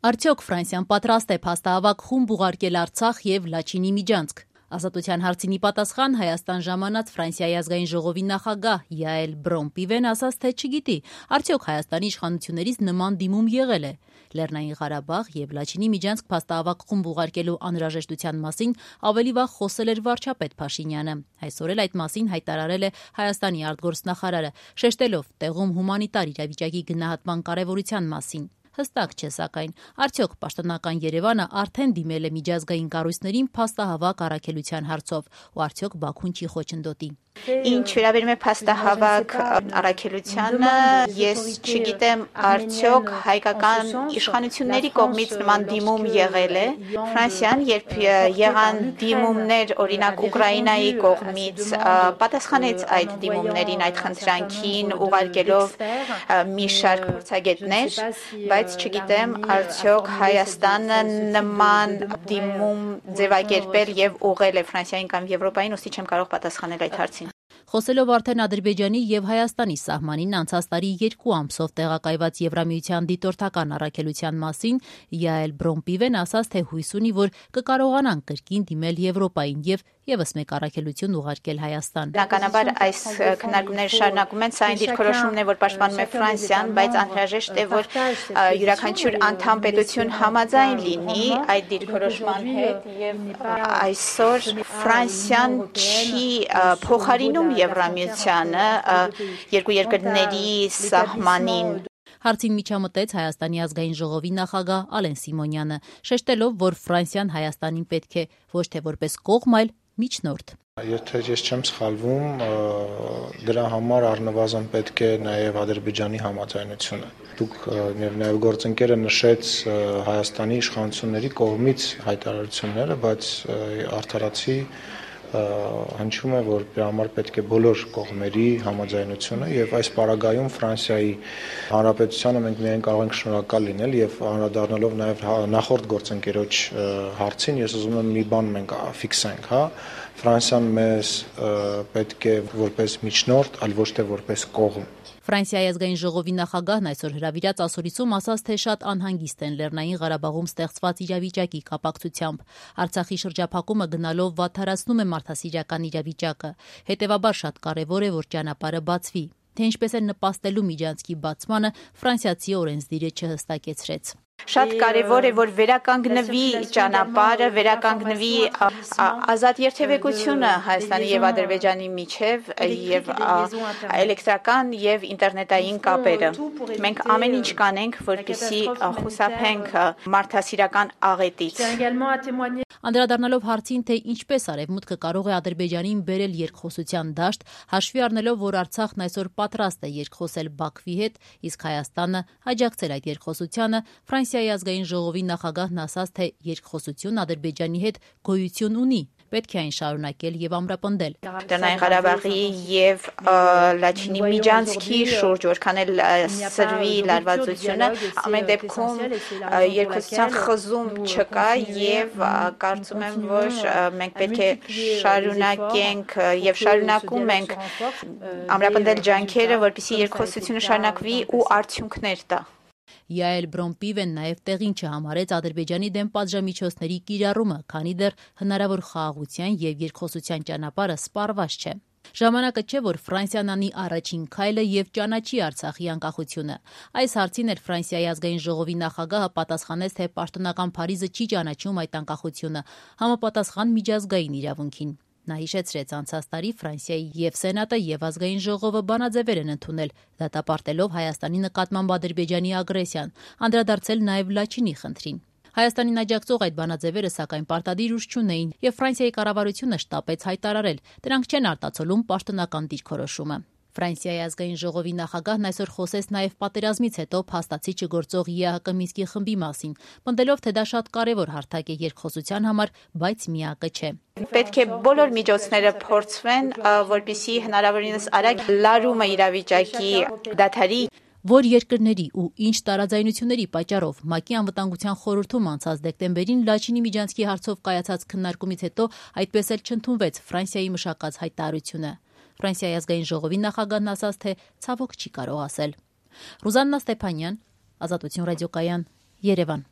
Արդյոք Ֆրանսիան պատրաստ է փաստահավաք խումբ ուղարկել Արցախ եւ Լաչինի միջանցք։ Ազատության հարցինի պատասխան Հայաստան ժամանած Ֆրանսիայի ազգային ժողովի նախագահ Յաել Բրոն-Պիվեն ասաց, թե չգիտի, արդյոք Հայաստանի իշխանություններից նման դիմում եղել է։ Լեռնային Ղարաբաղ եւ Լաչինի միջանցք փաստահավաք խումբ ուղարկելու անհրաժեշտության մասին ավելի վաղ խոսել էր վարչապետ Փաշինյանը։ Այսօր էլ այդ մասին հայտարարել է Հայաստանի արտգործնախարարը, շեշտելով տեղում հումանիտար իրավիճակի գնահատման կարևորության մասին։ Հստակ չէ, սակայն, արդյոք պաշտոնական Երևանը արդեն դիմել է միջազգային կառույցներին փաստահավաք առաքելության հարցով, ու արդյոք Բաքուն չի խոչընդոտի։ Ինչ վերաբերում է փաստահավաք առաքելությանը, ես չգիտեմ արդյոք հայկական իշխանությունների կողմից նման դիմում եղել է։ Ֆրանսիան, երբ եղան դիմումներ, օրինակ Ուկրաինայի կողմից, պատասխանեց այդ դիմումներին, այդ խնդրանքին, ուղարկելով մի շարք փորձագետներ, բայց չգիտեմ արդյոք Հայաստանը նման դիմում ձևակերպել եւ ուղղել է Ֆրանսիային կամ Եվրոպային, ուստի չեմ կարող պատասխանել այդ հարցին։ Խոսելով արդեն Ադրբեջանի եւ Հայաստանի սահմանին անցած տարի 2 ամսով տեղակայված Եվրամիության դիտորդական առաքելության մասին, Յաել Բրոն-Պիվեն ասաց, թե հույս ունի, որ կկարողանան կրկին դիմել Եվրոպային եւ եւս մեկ առաքելություն ուղարկել Հայաստան։ Բնականաբար այս քննարկումները շարունակում են, սա այն դիրքորոշումն է, որ պաշտպանում է Ֆրանսիան, բայց անհրաժեշտ է, որ յուրաքանչյուր անդամ պետություն համաձայն լինի այդ դիրքորոշման հետ եւ այսօր Ֆրանսիան չի փոխարինում Եվրամիությանը երկու երկրների սահմանին։ Հարցին միջամտեց Հայաստանի ազգային ժողովի նախագահ Ալեն Սիմոնյանը, շեշտելով, որ Ֆրանսիան Հայաստանին պետք է ոչ թե որպես կողմ, այլ միջնորդ։ Եթե ես չեմ սխալվում, դրա համար առնվազն պետք է նաև Ադրբեջանի համաձայնությունը։ Դուք եւ նաև գործընկերը նշեց Հայաստանի իշխանությունների կողմից հայտարարությունները, բայց արդարացի հնչում է, որ դրա համար պետք է բոլոր կողմերի համաձայնությունը եւ այս պարագայում Ֆրանսիայի Հանրապետությանը մենք միայն կարող ենք շնորհակալ լինել եւ անդրադառնալով նաեւ նախորդ գործընկերոջ հարցին, ես ուզում եմ մի բան մենք ֆիքսենք, Ֆրանսիան մեզ պետք է որպես միջնորդ, այլ ոչ թե որպես կողմ։ Ֆրանսիայի ազգային ժողովի նախագահն այսօր հրավիրած ասորիցում ասաց, թե շատ անհանգիստ են Լեռնային Ղարաբաղում ստեղծված իրավիճակի կապակցությամբ։ Արցախի շրջափակումը գնալով վատթարացնում է մարդասիրական իրավիճակը։ Հետևաբար շատ կարևոր է, որ ճանապարհը բացվի։ Թե ինչպես է նպաստելու միջանցքի բացմանը, ֆրանսիացի օրենսդիրը չհստակեցրեց։ Շատ կարևոր է, որ վերականգնվի ճանապարհը, վերականգնվի ազատ երթևեկությունը Հայաստանի եւ Ադրբեջանի միջև եւ էլեկտրական եւ ինտերնետային կապերը։ Մենք ամեն ինչ կանենք, որպեսզի խուսափենք մարդասիրական աղետից։ Անդրադառնալով հարցին, թե ինչպես Արևմուտքը կարող է Ադրբեջանին բերել երկխոսության դաշտ, հաշվի առնելով, որ Արցախն այսօր պատրաստ է երկխոսել Բաքվի հետ, իսկ Հայաստանը աջակցել այդ երկխոսությանը, Ֆրանսիայի ազգային ժողովի նախագահն ասաց, թե երկխոսություն Ադրբեջանի հետ գոյություն ունի, պետք է այն շարունակել եւ ամրապնդել։ Լեռնային Ղարաբաղի եւ Լաչինի միջանցքի շուրջ որքան էլ սրվի լարվածությունը, ամեն դեպքում երկխոսության խզում չկա եւ կարծում եմ, որ մենք պետք է շարունակենք եւ շարունակում ենք ամրապնդել ջանքերը, որպեսզի երկխոսությունը շարունակվի ու արդյունքներ տա։ Յաել Բրոն-Պիվեն նաև տեղին չհամարեց Ադրբեջանի դեմ պատժամիջոցների կիրառումը, քանի դեռ հնարավոր խաղաղության եւ երկխոսության ճանապարհը սպառված չէ։ Ժամանակը չէ, որ Ֆրանսիան անի առաջին քայլը եւ ճանաչի Արցախի անկախությունը։ Այս հարցին էլ Ֆրանսիայի ազգային ժողովի նախագահը պատասխանեց, թե պաշտոնական Փարիզը չի ճանաչում այդ անկախությունը, համապատասխան միջազգային իրավունքին։ Նա հիշեցրեց անցած տարի Ֆրանսիայի եւ Սենատը եւ ազգային ժողովը բանաձևեր են ընդունել, դատապարտելով Հայաստանի նկատմամբ Ադրբեջանի ագրեսիան, անդրադարձել նաեւ Լաչինի խնդրին։ Հայաստանին աջակցող այդ բանաձևերը սակայն պարտադիր ուժ չունեին եւ Ֆրանսիայի կառավարությունը շտապեց հայտարարել, դրանք չեն արտացոլում պաշտոնական դիրքորոշումը։ Ֆրանսիայի ազգային ժողովի նախագահն այսօր խոսեց նաև պատերազմից հետո փաստացի չգործող ԵԱՀԿ Մինսկի խմբի մասին, պնդելով, թե դա շատ կարևոր հարթակ է երկխոսության համար, բայց միակը չէ։ Պետք է բոլոր միջոցները փորձվեն, որպեսզի հնարավորինս արագ լարումը իրավիճակի դադարի։ Որ երկրների ու ինչ տարաձայնությունների պատճառով ՄԱԿ-ի անվտանգության խորհրդում անցած դեկտեմբերին Լաչինի միջանցքի հարցով կայացած քննարկումից հետո այդպես էլ չընդունվեց Ֆրանսիայի մշակած հայտարարությունը։ Ֆրանսիայի ազգային ժողովի նախագահն ասաց, թե ցավոք չի կարող ասել։ Ռուզաննա Ստեփանյան, Ազատություն ռադիոկայան, Երևան։